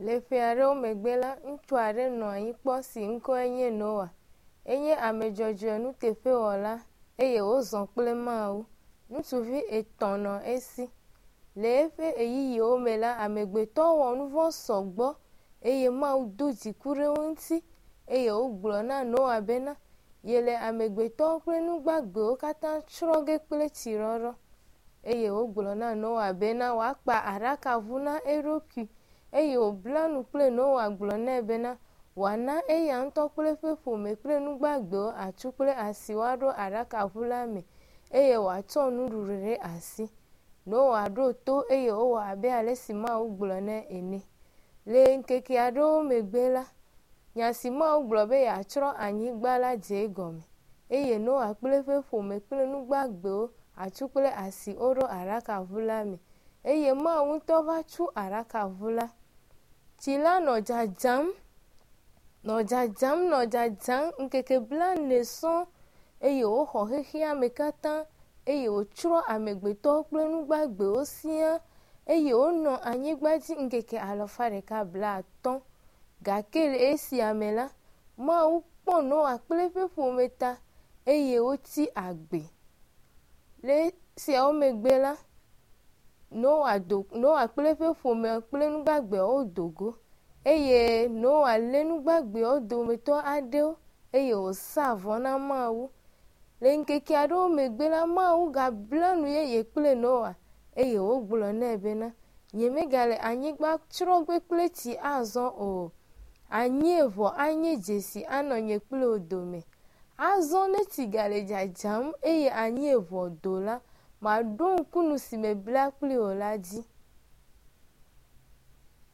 Le ƒe aɖewo megbe la, ŋutsu aɖe nɔ anyi kpɔ si ŋkɔe nye Noa. Enye ame dzɔdzɔe nuteƒewɔla eye wòzɔ kple Mawu. Ŋutsuvi etɔ̃ nɔ esi. Le eƒe ɣeyiɣiwo me la, amegbetɔwo wɔ nu vɔ̃ sɔgbɔ eye Mawu do dziku ɖe wo ŋuti eye wògblɔ na Noa bena yele amegbetɔwo kple nu gbagbewo katã tsrɔ̃ ge kple tsiɖɔɖɔ. Eye wògblɔ na Noa bena wòakpa aɖakaʋu na eɖokui eye wòbla nu kple Noa gblɔ nɛ bena wòana eya ŋutɔ kple eƒe ƒome kple nu gbagbewo atsu kple asi woaɖo aɖakaʋu la me eye wòatsɔ nuɖuɖu ɖe asi. Noa ɖo to eye wòwɔ abe ale si Mawu gblɔ nɛ ene. Le ŋkeke aɖewo megbe la, nya si Mawu gblɔ be yeatsrɔ̃ anyigba la dze egɔme eye Noa kple eƒe ƒome kple nu gbagbewo atsu kple asi woɖo aɖakaʋu la me eye Mawu ŋutɔ va tu aɖakaʋu la. Tsi la nɔ dzadzam, nɔ dzadzam, nɔ dzadzam ŋkeke blaene sɔŋ eye wòxɔ xexea me katã eye wòtsrɔ̃ amegbetɔwo kple nu gbagbewo siaa eye wonɔ anyigba dzi ŋkeke alafa ɖeka blaatɔ̃. Gake le esia me la, Mawu kpɔ Noa kple eƒe ƒome ta eye wotsi agbe. Le esiawo megbe la, Noa do Noa kple eƒe ƒome kple nu gbagbeawo do go eye Noa lé nu gbagbeawo dometɔ aɖewo eye wòsa vɔ na Mawu. Le ŋkeke aɖewo megbe la, Mawu gabla nu yeye kple Noa eye wògblɔ nɛ bena, nyemegale anyigba tsrɔ̃ ge kple tsi azɔ o. Anyieʋɔ anye dzesi anɔ nye kple wò dome. Azɔ ne tsi gale dzadzam eye anyieʋɔ do la, maɖo ŋku nu si mebla kpli wò la dzi.